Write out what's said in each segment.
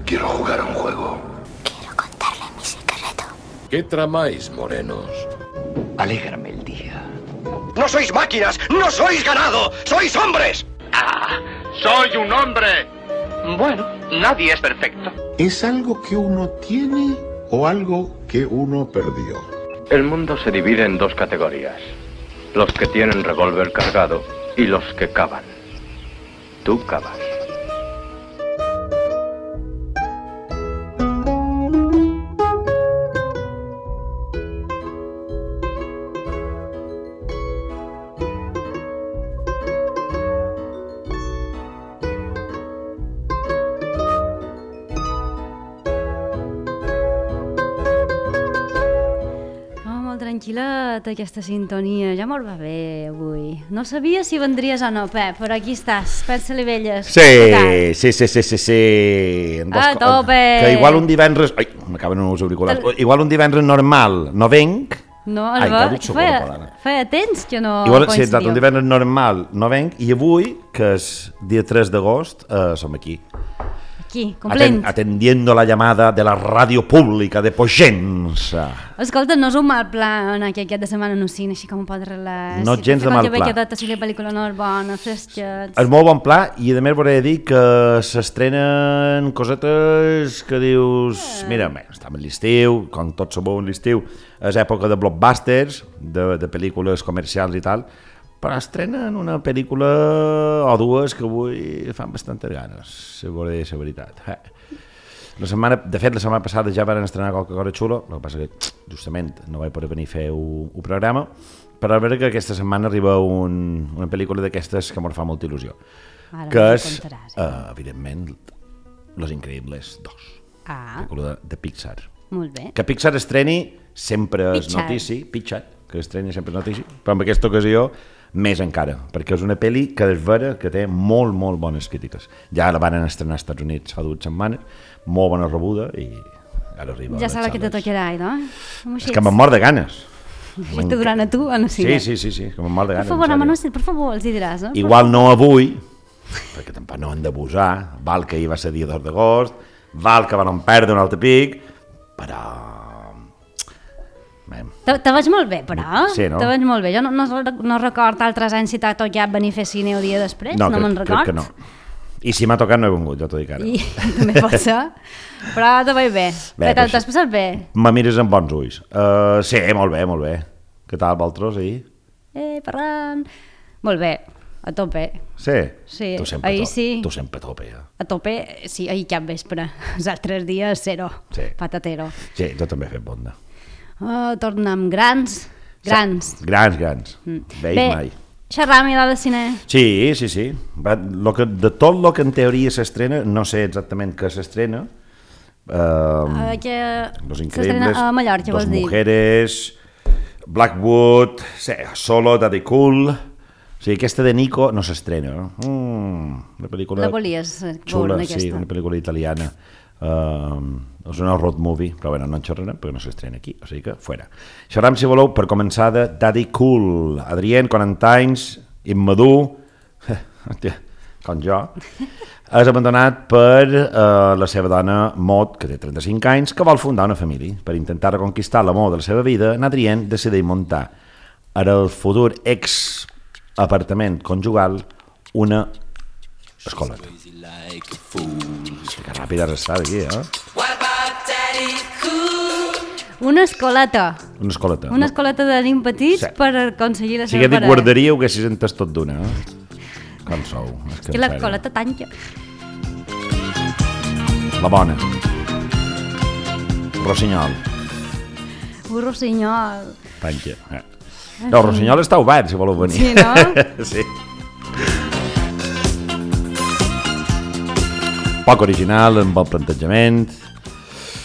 Quiero jugar a un juego. Quiero contarle mi secreto. ¿Qué tramáis, morenos? Alégrame el día. ¡No sois máquinas! ¡No sois ganado! ¡Sois hombres! ¡Ah! ¡Soy un hombre! Bueno, nadie es perfecto. ¿Es algo que uno tiene o algo que uno perdió? El mundo se divide en dos categorías. Los que tienen revólver cargado y los que cavan. Tú cavas. Tranquil·la aquesta sintonia, ja me'l va bé avui. No sabia si vendries o no, Pep, però aquí estàs, Pep Salivelles. Sí. A tope! Que igual un divendres... Ai, m'acaben els auriculars. Igual un divendres normal no venc... No, feia temps que no coincidiu. Sí, exacte, un coincidíeu. divendres normal no venc i avui, que és dia 3 d'agost, som aquí. Aquí, complint. Atendiendo la llamada de la ràdio pública de Pogença. Escolta, no és un mal pla anar aquí aquest de setmana no cine, així com un pot relaxar. No gens de mal pla. Que haver quedat a la pel·lícula no és bona, fresquets. És molt bon pla i a més volia dir que s'estrenen cosetes que dius... Mira, estem en l'estiu, com tots sabeu en l'estiu, és època de blockbusters, de pel·lícules comercials i tal, però estrenen una pel·lícula o dues que avui fan bastantes ganes, si volia dir la veritat. De fet, la setmana passada ja van estrenar qualque cosa xulo, el que passa que justament no vaig poder venir a fer un programa, però a veure que aquesta setmana arriba una pel·lícula d'aquestes que m'ho fa molta il·lusió, que és, evidentment, Los Increíbles 2, pel·lícula de Pixar. Molt bé. Que Pixar estreni sempre és notícia, Pixar, que estreni sempre és notícia, però en aquesta ocasió més encara, perquè és una pel·li que és vera que té molt bones crítiques. Ja la van estrenar als Estats Units fa 2 setmanes, molt bona rebuda i ara arriba a les Ja saps que te tocarà, no? És que me'n mor de ganes. I te duran a tu o no? Sí, que me'n mor de ganes. Per favor, home, per favor, els hi diràs, no? Igual no avui, perquè tampoc no han d'abusar, val que ahir va ser dia 2 d'agost, val que van perdre un altre pic, però... Te veig molt bé, però. Sí, no? Te veig molt bé. Jo no record altres anys si t'ha tocat venir a fer cine el dia després, no me'n record. Crec que no. I si m'ha tocat no he vingut, ja t'ho dic ara. I també pot ser, però te veig bé. T'has passat bé? Me mires amb bons ulls. Sí, molt bé. Què tal, vosaltres, ahir? Parlant. Molt bé, a tope. Sí? Sí, ahir sí. Tu sempre a tope, ja. A tope, sí, ahir cap vespre. Els altres dies, zero. Sí. Patatero. Sí, jo també he fet bonda. Tornem grans. Grans. Veig mai. Xerram i de cine. Sí. De tot el que en teoria s'estrena, no sé exactament què s'estrena. Los Increíbles, a Mallorca, Dos Mujeres, Blackwood, Solo, Daddy Cool... O sigui, aquesta de Nico no s'estrena. Una pel·lícula... La volies xula, veure, aquesta. Sí, una pel·lícula italiana. És una road movie, però bueno, no en xerrarem perquè no s'estrena aquí, o sigui que fora. Xerram, si voleu, per començar de Daddy Cool. Adrien, 40 anys, immadur, com jo, és abandonat per la seva dona Maud, que té 35 anys, que vol fundar una família. Per intentar reconquistar l'amor de la seva vida, Adrien decideix muntar en el futur apartament conjugal una escoleta. Que ràpida has estat aquí, Una escoleta. Una escoleta de nen petits per aconseguir la seva parella. Si dic guarderia, ho haguessis entès tot d'una, Com sou? És que l'escoleta tanca. La bona. Rossinyol. Un rossinyol. Tanca. No, el Rossinyol està obert, si voleu venir. Sí, no? Sí. Poc original, amb bon plantejament.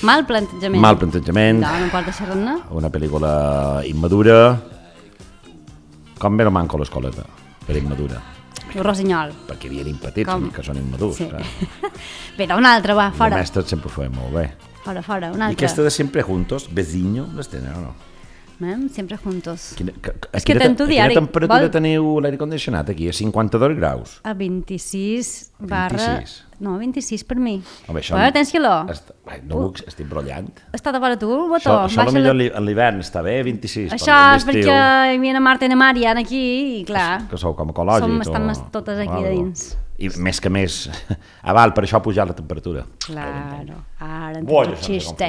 Mal plantejament. No pot deixar-ne. Una pel·lícula immadura. Com ve no manco l'escoleta, per immadura? El Rossinyol. Perquè hi havia petits, que són immadurs. Sí. Però una altra, va, fora. Els mestres sempre ho feien molt bé. Fora, una altra. I aquesta de Siempre Juntos, Vecino, les tenen o no? Sempre juntos. És que tanto diari. Quina temperatura teniu l'aire condicionat aquí? A 52 graus? A 26 barra... 26. No, 26 per mi. Home, això... Però tens quiló. No, estic brollant. Està d'acord a tu, el botó? Això potser en l'hivern està bé, 26. Això és perquè hi havia Marta i Marian aquí i clar... Que sou com ecològics. Estan totes aquí de dins. I més que més, aval, per això ha pujat la temperatura. Claro, ara en tot xiste.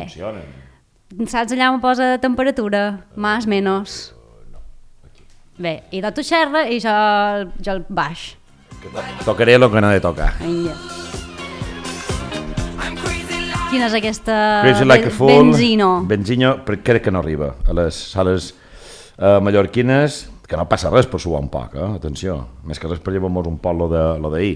Saps allà on posa temperatura? Más, menos. Bé, i de tu xerra i jo el baix. Tocaré el que no he de tocar. Vinga. Quina és aquesta Benzino, però crec que no arriba a les sales mallorquines, que no passa res per suar un poc, atenció, més que res per llevar-nos un poc lo d'ahir.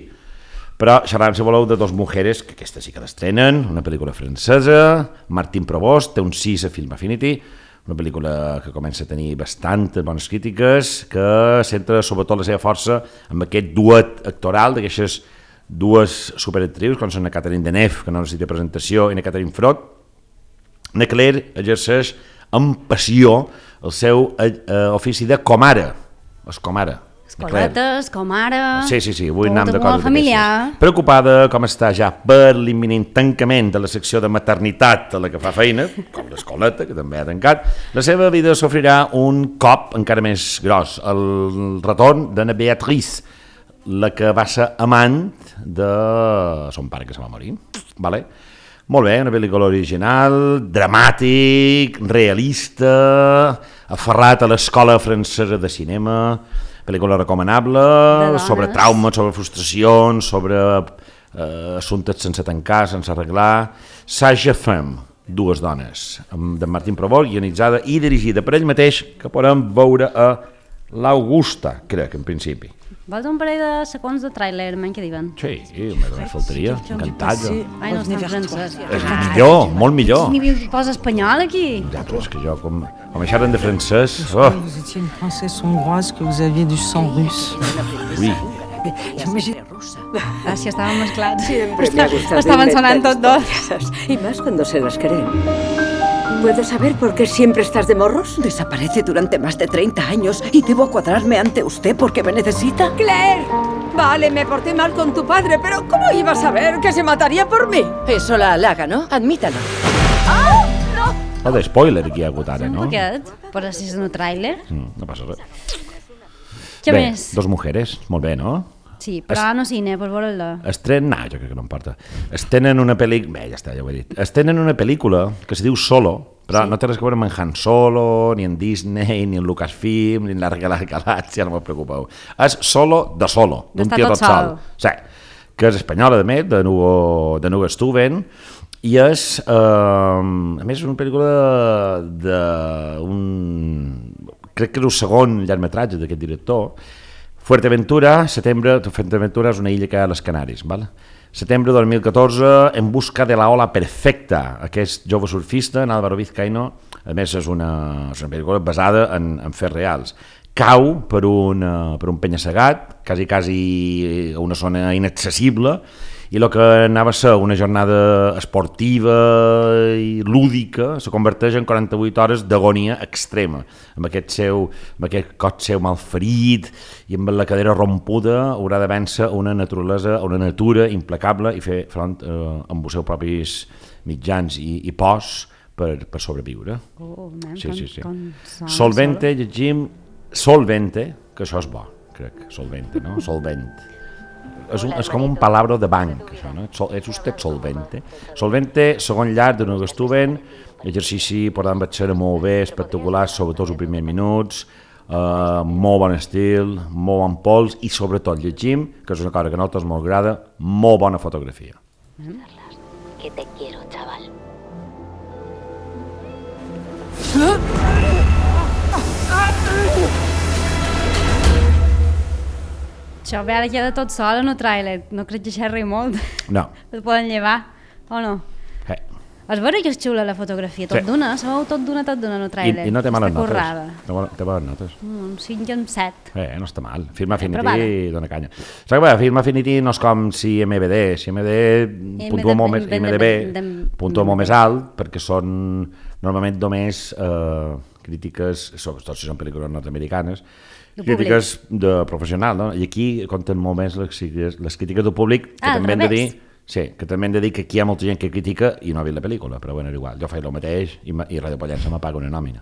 Però xerrarem, si voleu, de Dos mujeres, que aquesta sí que l'estrenen, una pel·lícula francesa, Martín Provost, té un 6 a Film Affinity, una pel·lícula que comença a tenir bastantes bones crítiques, que centra sobretot la seva força amb aquest duet actoral d'aquestes dues superactrius, com són la Catherine Deneuve, que no necessita presentació, i la Catherine Frot. Na Claire exerceix amb passió el seu ofici de comare. Escoletes, comare... Sí, avui anem de coses familiar. Preocupada com està ja per l'imminent tancament de la secció de maternitat a la que fa feina, com l'escoleta, que també ha tancat, la seva vida sofrirà un cop encara més gros, el retorn d'Anna Beatrice, la que va ser amant de son pare que se va morir. Vale? Molt bé, una pel·lícula original, dramàtic, realista, aferrat a l'escola francesa de cinema, pel·lícula recomanable, sobre traumes, sobre frustracions, sobre assumptes sense tancar, sense arreglar. Sage Femme, dues dones, de Martín Provost, guionitzada i dirigida per ell mateix, que podem veure a l'Augusta, crec, en principi. Vols un parell de segons de tràiler, què diuen? Sí, només faltaria, encantat. Ai, no està en francès. És millor, molt millor. Ni posa espanyol aquí. Ja, però és que jo, com xerren de francès... Oh. Vous étiez une princesse hongroise, que vous aviez du sang russe. Oui. Gràcies, estaven mesclats. Siempre me ha gustado estaven sonant tots dos. Y más cuando se las creen. ¿Puedo saber por qué siempre estás de morros? Desaparece durante más de 30 años y debo cuadrarme ante usted porque me necesita. ¡Claire! Vale, me porté mal con tu padre, pero ¿cómo ibas a saber que se mataría por mí? Eso la halaga, ¿no? Admítalo. ¡Ah! ¡No! O de spoiler aquí hi ha hagut ara, no? Un poquet, però si és un tràiler. No passa res. Què més? Dos mujeres, molt bé, no? Sí, però no cine, per veure-la. No, jo crec que no importa. Estenen una pel·lícula... Bé, ja està, ja ho he dit. Estenen una pel·lícula que se diu Solo, però no té res a veure amb en Han Solo, ni en Disney, ni en Lucasfilm, ni en la Galàxia, no me preocupeu. És Solo de Solo, d'un tio tot sol. Sí, que és espanyola, de més, de Nuga Stuven, i és, a més, una pel·lícula d'un... Crec que és el segon llargmetratge d'aquest director. Fuerteventura, setembre, Fuerteventura és una illa que hi ha a les Canàries, val? Setembre de 2014, En busca de la ola perfecta, aquest jove surfista, en Álvaro Vizcaíno, a més és una pel·lícula basada en fets reals. Cau per un penya-segat, quasi a una zona inaccessible, i el que anava a ser una jornada esportiva i lúdica se converteix en 48 hores d'agonia extrema, amb aquest cos seu malferit i amb la cadera rompuda haurà de vèncer una natura implacable i fer front amb els seus propis mitjans i pors per sobreviure. Sí. Solvente, llegim Solvente, que això és bo, crec, Solvente, no? Solvent. És com un palabra de banc, això, no? És usted solvente. Solvente, segon llarg de Nuga Stuven, exercici, per tant, vaig ser molt bé, espectacular, sobretot els primers minuts, molt bon estil, molt bon pols i sobretot llegim, que és una cosa que a nosaltres molt agrada, molt bona fotografia. Que te quiero, chaval. Això ve ara queda tot sol en el tràiler, no crec que xerri molt. No. Es poden llevar, o no? És vera que és xula la fotografia, tot d'una, sabeu tot d'una en el tràiler. I no té males notes. Té males notes. Un 5 i un 7. No està mal. Film Affinity dona canya. Saps que Film Affinity no és com si MBD puntua molt més alt, perquè són normalment només crítiques, sobretot si són pel·lícules nord-americanes, crítiques de professional, no? I aquí compten molt més les crítiques del públic, que també hem de dir... Sí, que també hem de dir que aquí hi ha molta gent que critica i no ha vist la pel·lícula, però bueno, igual, jo faig el mateix i Ràdio Pollença m'apaga una nòmina.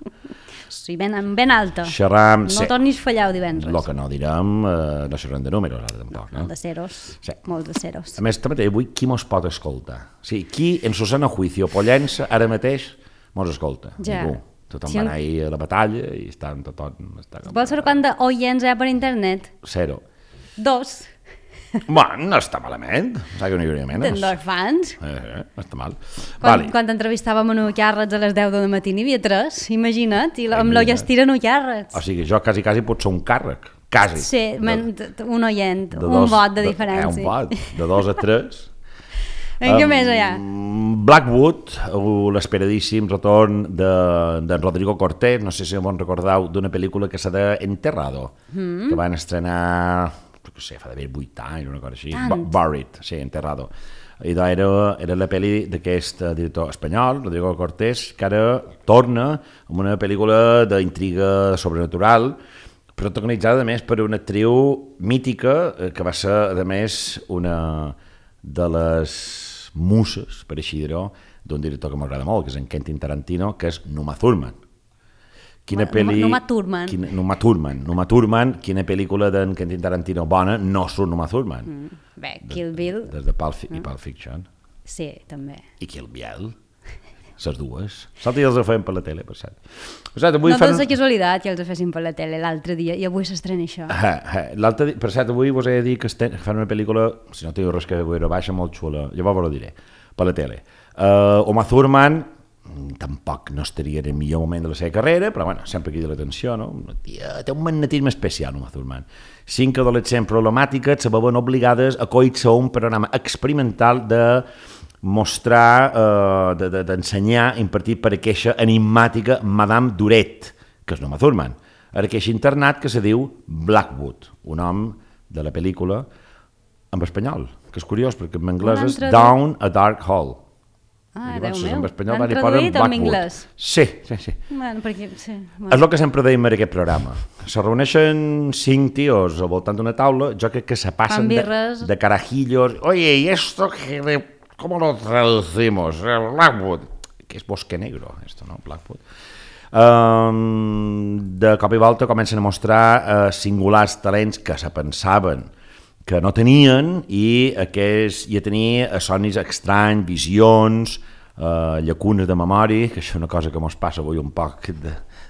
Sí, ben alta. Xerram... No tornis a fallar el divendres. El que no direm, no xerrem de números, ara tampoc, no? De ceros, sí. Molts de ceros. A més, també avui, qui mos pot escoltar? Sí, qui en su sana juicio Pollença ara mateix mos escolta? Ja. Ningú. Tothom va anar a la batalla i estan tothom... Vols saber quant d'oients hi ha per internet? 0. 2. Bueno, no està malament. Saps que no hi hauria menys. Tens 2 fans. No està mal. Quan entrevistàvem a Nucàrrets a les 10 del matí n'hi havia 3, imagina't, i amb l'Ollestira Nucàrrets. O sigui, jo quasi pot ser un càrrec. Quasi. Sí, un oient, un vot de diferència. Un vot, de 2 a 3. Què més hi ha? Blackwood, l'esperadíssim retorn d'en Rodrigo Cortés, no sé si me'n recordeu, d'una pel·lícula que s'ha d'Enterrado, que van estrenar... no sé, fa d'haver 8 anys, una cosa així, Buried, sí, Enterrado. I era la pel·li d'aquest director espanyol, Rodrigo Cortés, que ara torna amb una pel·lícula d'intriga sobrenatural, protagonitzada, a més, per una actriu mítica, que va ser, a més, una de les muses, per així dir-ho, d'un director que m'agrada molt, que és en Quentin Tarantino, que és Uma Thurman. Uma Thurman, quina pel·lícula d'en Quentin Tarantino bona no surt Uma Thurman. Bé, Kill Bill. Des de Pulp Fiction. Sí, també. I Kill Bill. Les dues. Salta i els feien per la tele, per cert. No és de casualitat que els fessin per la tele l'altre dia, i avui s'estrena això. Per cert, avui vos he de dir que fan una pel·lícula, si no teniu res que veure, baixa, molt xula, llavors vos ho diré, per la tele. Uma Thurman tampoc no estaria en el millor moment de la seva carrera, però bueno, sempre crida l'atenció, no? Té un magnetisme especial, Uma Thurman. 5 adolescents problemàtiques se veuen obligades a coir-se un programa experimental de mostrar, d'ensenyar, impartit per aquesta enigmàtica Madame Duret, que és Uma Thurman, a aquest internat que se diu Blackwood, un nom de la pel·lícula en espanyol, que és curiós, perquè en anglès és Down a Dark Hall. Déu meu, l'han traduït en anglès. Sí. Bueno, perquè, sí. És el que sempre deim en aquest programa. Se reuneixen 5 tios al voltant d'una taula, jo crec que se passen de carajillos. Oye, ¿y esto cómo lo traducimos? Blackwood. Que és Bosque Negro, esto, ¿no? Blackwood. De cop i volta comencen a mostrar singulars talents que se pensaven que no tenien i a tenir somnis estranys, visions, llacunes de memòria, que això és una cosa que ens passa avui un poc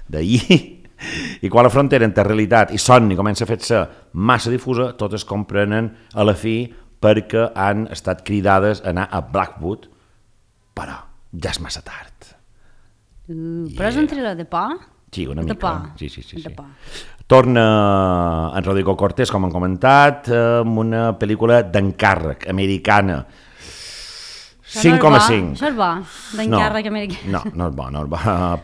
d'ahir, i quan la frontera entre realitat i somni comença a fer-se massa difusa, totes comprenen a la fi perquè han estat cridades a anar a Blackwood, però ja és massa tard. Però és un thriller de por? Sí, una mica. Sí. De por. Torna en Rodrigo Cortés, com hem comentat, amb una pel·lícula d'encàrrec, americana. 5,5. Això és bo, d'encàrrec americà. No és bo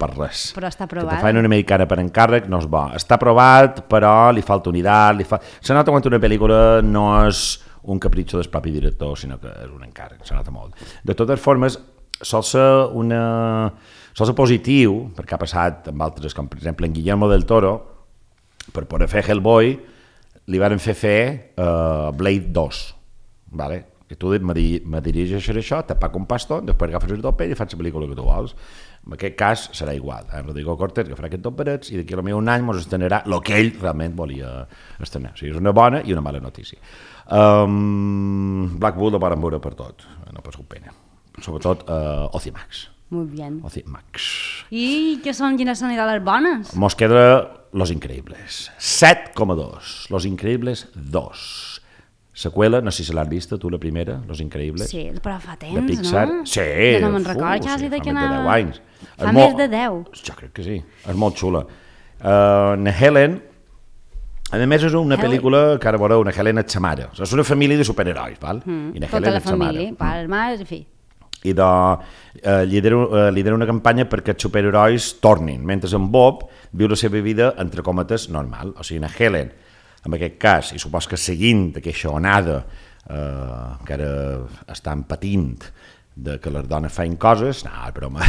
per res. Però està aprovat. Que te fan una americana per encàrrec no és bo. Està aprovat, però li falta unitat. Se nota quan una pel·lícula no és un capritxo del propi director, sinó que és un encàrrec, se nota molt. De totes formes, sol ser positiu, perquè ha passat amb altres, com per exemple en Guillermo del Toro, per poder fer Hellboy, li van fer Blade 2, vale? Que tu me dirigeixes això, te pago un pastón, després agafes el doble i fas la pel·lícula que tu vols. En aquest cas serà igual. Rodrigo Cortés que farà aquests doperets i d'aquí a un any ens estrenarà el que ell realment volia estrenar. O sigui, és una bona i una mala notícia. Blackwood ho poden veure per tot, no passeu pena. Sobretot Ocimax. Muy bien. Ocimax. I quines són les bones? Mos queda Los Increíbles. 7,2. Los Increíbles 2. Seqüela, no sé si l'has vista tu, la primera, Los Increíbles. Sí, però fa temps, de Pixar. No? Sí. No me'n record quasi de que anava... Fa més de 10 anys. Fa més de 10. Jo crec que sí. És molt xula. Helen, a més és una pel·lícula que ara veureu, una Helen és sa mare. És una família de superherois, val? I tota la família, pares, mares, en fi. I lidera una campanya perquè els superherois tornin, mentre en Bob viu la seva vida, entre cometes, normal. O sigui, Helen, en aquest cas, i supos que seguint aquesta onada que ara estan patint de que les dones feien coses, no, és broma.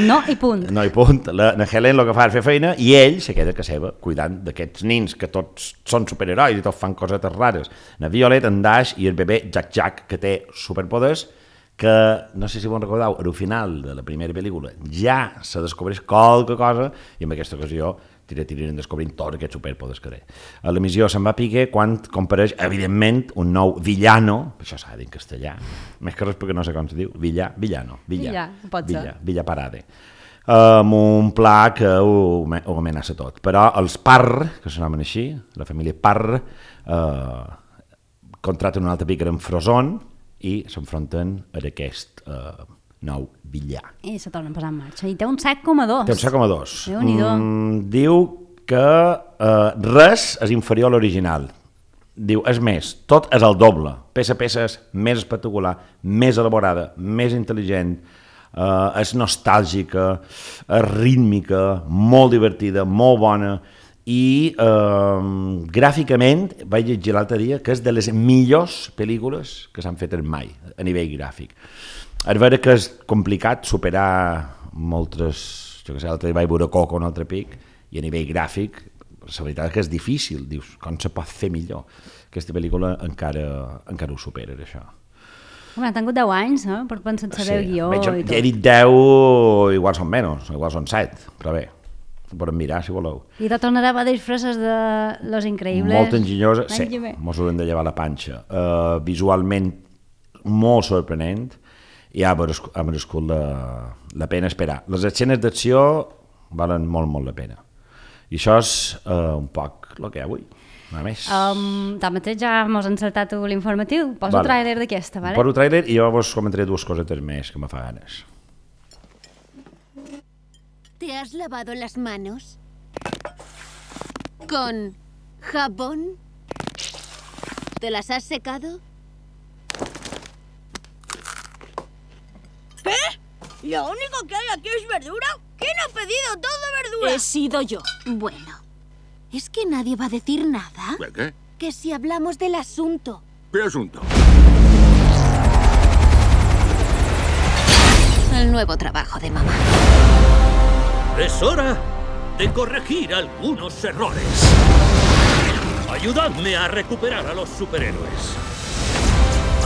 No, i punt. No, i punt. La Helen el que fa és fer feina i ell se queda a casa seva cuidant d'aquests nins que tots són superherois i tots fan cosetes rares. La Violet, en Dash i el bebè Jack, que té superpoders, que no sé si vos recordeu, al final de la primera pel·lícula ja se descobreix qualque cosa i en aquesta ocasió tiren descobrint tots aquests superpoders que té. A l'emissió se'n va pique quan compareix, evidentment, un nou villano, això s'ha de dir en castellà, més que res perquè no sé com se diu, villano, Villa Parade, amb un pla que ho amenaça tot. Però els Parr, que s'anomen així, la família Parr, contraten un altre picar en Frozone i s'enfronten a aquest nou villà. I se torna a posar en marxa. I té un 7,2. Té un 7,2. Déu-n'hi-do. Diu que res és inferior a l'original. Diu, és més, tot és el doble. Peça és més espectacular, més elaborada, més intel·ligent, és nostàlgica, és rítmica, molt divertida, molt bona, i gràficament vaig llegir l'altre dia que és de les millors pel·lícules que s'han fet mai a nivell gràfic. És vera que és complicat superar moltes, jo què sé, l'altre dia vaig veure Coco un altre pic, i a nivell gràfic, la veritat és que és difícil, dius, com se pot fer millor? Aquesta pel·lícula encara ho supera, això. Home, ha tingut 10 anys, per pensar en saber el guió i tot. He dit 10, igual són menys, igual són 7, però bé, ho podem mirar si voleu. I de tornarà a disfresses de Los Increïbles. Molt enginyosa, sí, mos haurem de llevar la panxa. Visualment molt sorprenent, i ha merescut la pena esperar. Les escenes d'acció valen molt la pena. I això és un poc el que hi ha avui, a més. Tanmateix ja mos han encertat l'informatiu. Poso el tràiler d'aquesta, ¿vale? Poso el tràiler i jo vos comentaré dues cosetes més que me fa ganes. ¿Te has lavado las manos? ¿Con jabón? ¿Te las has secado? ¿Qué? ¿Lo único que hay aquí es verdura? ¿Quién ha pedido todo verdura? He sido yo. Bueno, ¿es que nadie va a decir nada? ¿De qué? Que si hablamos del asunto. ¿Qué asunto? El nuevo trabajo de mamá. Es hora de corregir algunos errores. Ayudadme a recuperar a los superhéroes.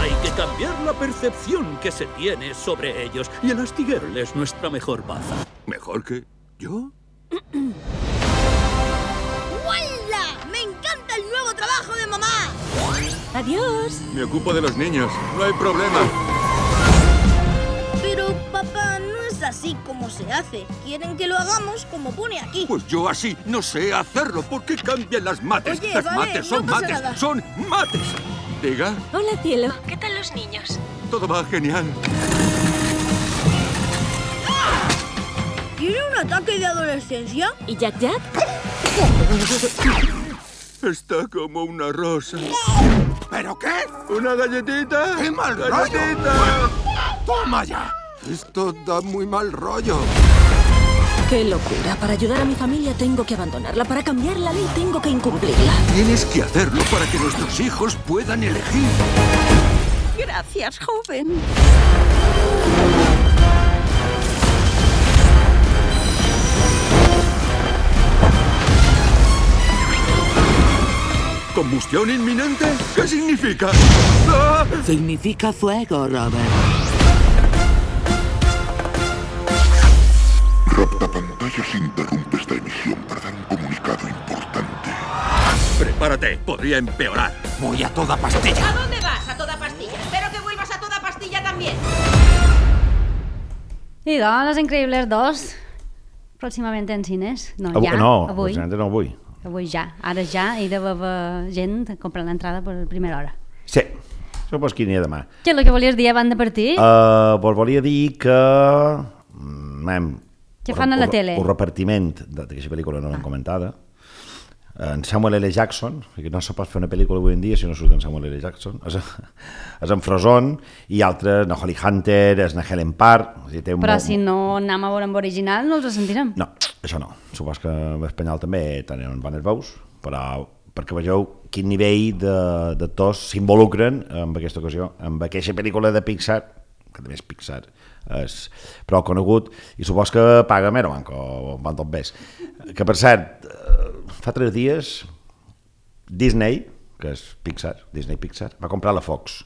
Hay que cambiar la percepción que se tiene sobre ellos y el astiguero es nuestra mejor baza. ¿Mejor que yo? ¡Huela! ¡Me encanta el nuevo trabajo de mamá! ¡Adiós! Me ocupo de los niños, no hay problema. Pero, papá, no es así como se hace. Quieren que lo hagamos como pone aquí. Pues yo así no sé hacerlo. ¿Por qué cambian las mates? Oye, las vale, mates son no pasa mates, nada. son mates. Diga. Hola, cielo. ¿Qué tal los niños? Todo va genial. ¿Tiene un ataque de adolescencia? ¿Y Jack Jack? Está como una rosa. ¿Pero qué? ¿Una galletita? ¡Qué mal ¡Galletita! rollo! ¡Toma ya! Esto da muy mal rollo. ¡Qué locura! Para ayudar a mi familia tengo que abandonarla. Para cambiar la ley tengo que incumplirla. Tienes que hacerlo para que nuestros hijos puedan elegir. Gracias, joven. ¿Combustión inminente? ¿Qué significa? ¡Ah! Significa fuego, Robert. Raptapantallas interrumpe esta emisión para dar un comunicado importante. Prepárate, podría empeorar. Voy a toda pastilla. ¿A dónde vas? A toda pastilla. Espero que vuelvas a toda pastilla también. I doncs, Los Increïbles 2, pròximament en cines. No, ja, no, avui. No avui. Avui ja, ara ja hi deu haver gent comprant l'entrada per primera hora. Sí, supos que n'hi ha demà. Què és el que volies dir abans de partir? Vos volia dir que... Què fan a la tele? El repartiment d'aquesta pel·lícula no l'hem comentada. En Samuel L. Jackson, que no se pot fer una pel·lícula avui en dia si no surt en Samuel L. Jackson, és en Frozone, i altres, na Holly Hunter, és na Helen Parr... Però si no anem a veure amb original no els sentirem. No, això no. Supos que en espanyol també tenen bones veus, però perquè vegeu quin nivell d'actors s'involucren en aquesta ocasió, amb aquesta pel·lícula de Pixar que a més Pixar és prou conegut, i supos que paga més o van tot bé. Que, per cert, fa 3 dies Disney, que és Pixar, Disney Pixar, va comprar la Fox.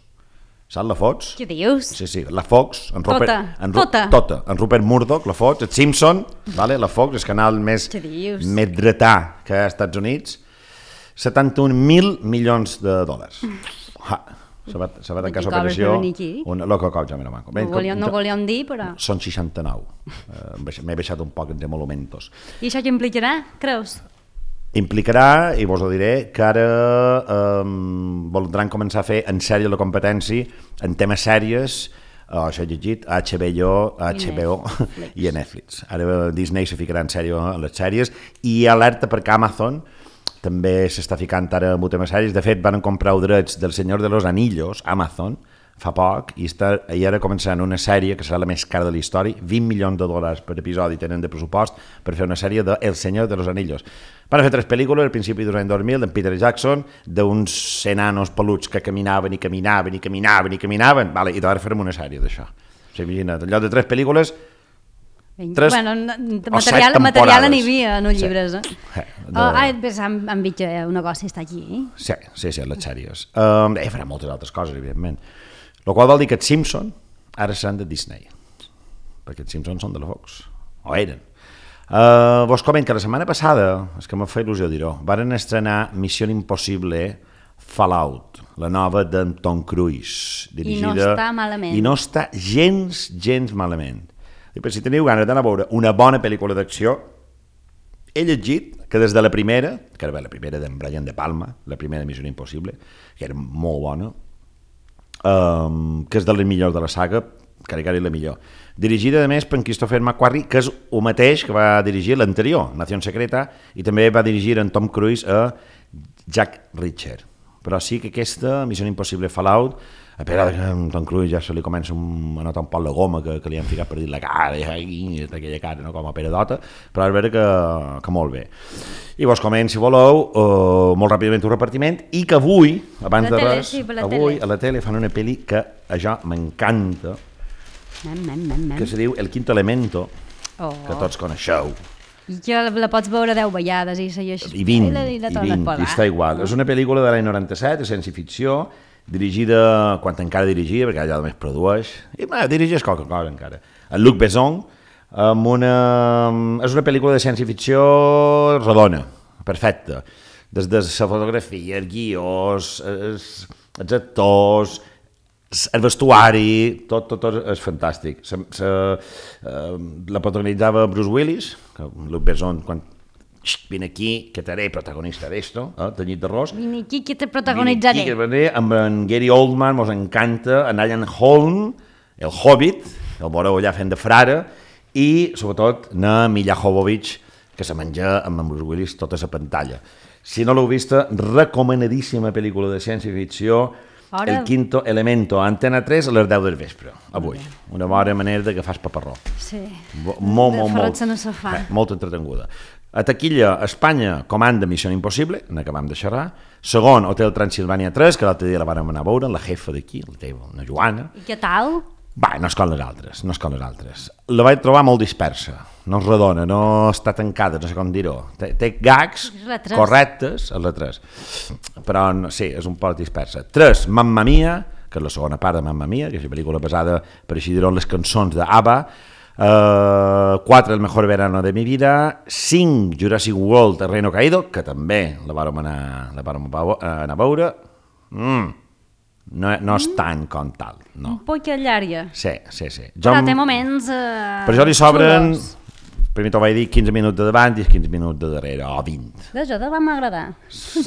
Saps la Fox? Què dius? Sí, la Fox, en Rupert Murdoch, la Fox, el Simpson, vale? La Fox, el canal més dretà que hi ha als Estats Units, 71.000 milions de dòlars. Se va tancar l'operació... No volíem dir, però... Són 69. M'he baixat un poc entre monumentos. I això què implicarà, creus? Implicarà, i vos ho diré, que ara voldran començar a fer en sèrie la competència en temes sèries, això he llegit, a HBO i a Netflix. Ara Disney se ficarà en sèrie en les sèries, i alerta perquè Amazon també s'està ficant ara en temes sèries. De fet, van comprar els drets del Senyor de los Anillos, Amazon, fa poc, i ara començaran una sèrie que serà la més cara de la història, $20 milions per episodi tenen de pressupost per fer una sèrie de El Senyor de los Anillos. Van fer 3 pel·lícules al principi dels anys 2000 d'en Peter Jackson, d'uns enanos peluts que caminaven, vale, i ara farem una sèrie d'això. O sigui, imagina't, en lloc de 3 pel·lícules, 3 o 7 temporades. Material n'hi havia en els llibres. Han vist que un negoci està aquí. Sí, les sèries. Farà moltes altres coses, evidentment. El qual vol dir que els Simpson ara seran de Disney, perquè els Simpsons són de la Fox, o eren. Vos comento que la setmana passada, és que m'ha fet il·lusió dir-ho, varen estrenar Missió Impossible Fallout, la nova d'en Tom Cruise, dirigida... I no està malament. I no està gens malament. I per si teniu ganes d'anar a veure una bona pel·lícula d'acció, he llegit que des de la primera, que era la primera d'en Brian De Palma, la primera Missió Impossible, que era molt bona, que és de les millors de la saga, que era la millor. Dirigida, a més, per Christopher McQuarrie, que és el mateix que va dirigir l'anterior, Nación Secreta, i també va dirigir en Tom Cruise a Jack Reacher. Però sí que aquesta Missió Impossible Fallout, a veure que a Tom Cruise ja se li comença a notar un poc la goma que li han ficat per dir la cara, i aquella cara, no? Com a peredota, però és vera que molt bé. I vos comento, si voleu, molt ràpidament un repartiment, i que avui, abans de res, avui a la tele fan una pel·li que a jo m'encanta, que se diu El Quinto Elemento, que tots coneixeu. I que la pots veure 10 vegades i segueixes... I 20, i està igual. És una pel·lícula de l'any 97, de ciència-ficció, dirigida, quan encara dirigia, perquè allà només produeix, i dirigeix qualque cosa encara. En Luc Besson, és una pel·lícula de ciència-ficció redona, perfecta. Des de la fotografia, els guions, els actors, el vestuari, tot és fantàstic. La protagonitzava Bruce Willis, que Luc Besson, quan vine aquí, que t'haré protagonista d'esto, tenyit d'arròs. Vine aquí, que te protagonitzaré. Amb en Gary Oldman, mos encanta, en Ian Holm, el Hobbit, el veureu allà fent de frare, i, sobretot, na Milla Jovovich, que se menja amb en Bruce Willis tota la pantalla. Si no l'heu vista, recomanadíssima pel·lícula de ciència-ficció, El Quinto Elemento, Antena 3 a les 10 del vespre, avui. Una bona manera de que fas paparró. Sí, molt entretenguda. A taquilla, Espanya comanda Missió Impossible, n'acabam de xerrar. Segon, Hotel Transilvània 3, que l'altre dia la vam anar a veure, la jefa d'aquí, la teva, una Joana. I què tal? No és com les altres, La vaig trobar molt dispersa, no és redona, no està tancada, no sé com dir-ho. Té gags correctes, és la 3. Però sí, és un poc dispersa. 3, Mamma Mia, que és la segona part de Mamma Mia, que és una pel·lícula basada, per així dir-ho, en les cançons d'ABBA. 4, El mejor verano de mi vida. 5, Jurassic World, Terreno caído, que també la vàrem anar a veure. No és tant com tal, no. Un poc llarga. Sí. Però té moments per això li sobren, primer t'ho vaig dir, 15 minuts de davant i 15 minuts de darrere, o 20. D'això te va m'agradar.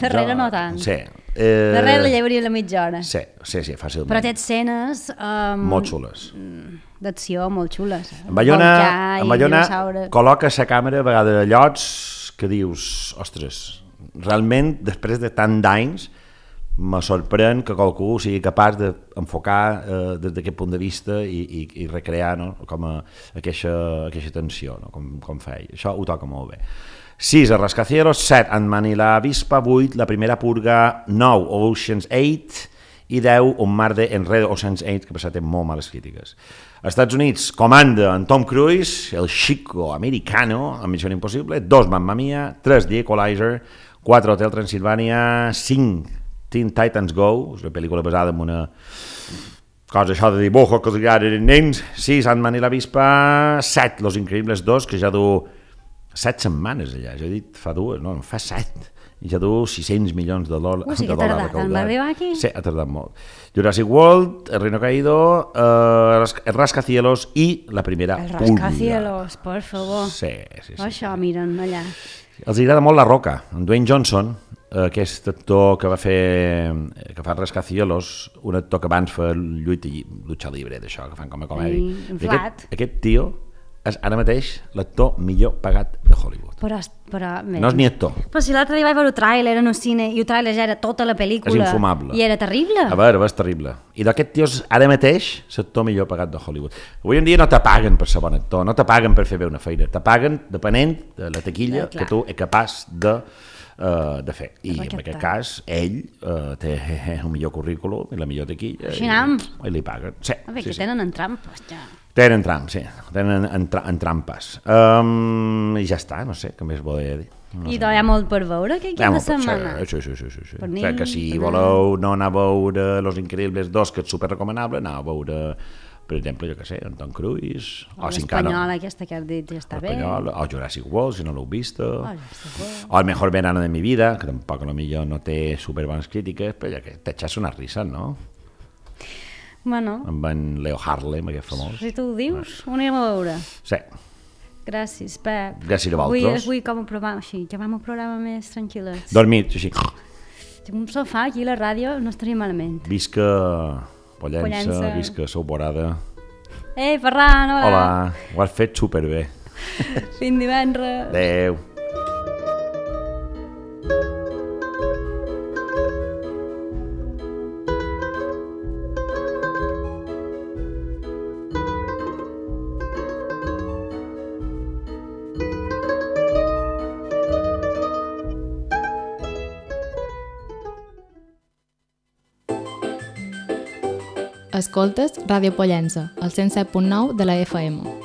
Darrere no tant. Sí. Darrere la llevaria la mitja hora. Sí, fàcilment. Però té escenes... molt xules. D'acció molt xules. En Bayona col·loca la càmera a vegades a llocs que dius, ostres, realment, després de tant d'anys, me sorprèn que qualcú sigui capaç d'enfocar des d'aquest punt de vista i recrear, no? Com aquesta tensió, no? Com feia. Això ho toca molt bé. 6, El Rascacielos. 7, Ant-Man i la Avispa. 8, La primera purga. 9, Ocean's 8. i 10 Un mar de enredo o Sense 8, que per cert té molt males crítiques. Als Estats Units comanda en Tom Cruise, el chico americano, amb Missió Impossible, 2 Mamma Mia, 3 The Equalizer, 4 Hotel Transylvania, 5 Teen Titans Go, és una pel·lícula basada en una cosa això de dibujo que els agrada als nens, 6 Ant-Man i la Vispa, 7 Los Increíbles 2, que ja du 7 setmanes allà, ja he dit fa 2, no, fa 7, i ja du 600 milions de dòlars. Sí que ha tardat, en va arribar aquí? Sí, ha tardat molt. Jurassic World, El Reino Caído, El Rascacielos i la primera El Rascacielos, por favor. Sí. Això, miren allà. Els agrada molt La Roca, en Dwayne Johnson, aquest actor que fa Rascacielos, un actor que abans fa Lucha Libre, d'això, que fan com a comèdia. Aquest tio és ara mateix l'actor millor pagat de Hollywood. Però no és ni actor. Però si l'altre dia vaig veure el tràiler en el cine i el tràiler ja era tota la pel·lícula. És infumable. I era terrible. A veure, és terrible. I d'aquest tio és ara mateix l'actor millor pagat de Hollywood. Avui en dia no te paguen per ser bon actor, no te paguen per fer bé una feina, te paguen depenent de la taquilla que tu ets capaç de fer. I en aquest cas, ell té el millor currículum i la millor taquilla i li paguen. Sí, a veure, que tenen en trampes, ja. Tenen trampes, sí. Tenen en trampes. I ja està, no sé, què més volia dir. I hi ha molt per veure aquest cap de setmana. Sí. Que si voleu no anar a veure Los Increíbles 2, que és superrecomanable, anar a veure, per exemple, jo què sé, en Tom Cruise, o l'Espanyola aquesta que has dit ja està bé, o Jurassic World, si no l'heu vist, o El Mejor Verano de mi vida, que tampoc potser no té superbones crítiques, però ja que t'eixes unes risses, no? Bueno. Amb en Leo Harlem, aquest famós. Si tu ho dius, ho anirem a veure. Sí. Gràcies, Pep. Gràcies a vosaltres. Avui com a programa, així, ja vam a un programa més tranquil·les. Dormit, així. Tinc un sofà aquí a la ràdio, no estaria malament. Visca Pollença, visca Souborada. Ei, Ferran, hola. Hola, ho has fet superbé. Fins divendres. Adéu. Escoltes Ràdio Pollença, al 107.9 de la FM.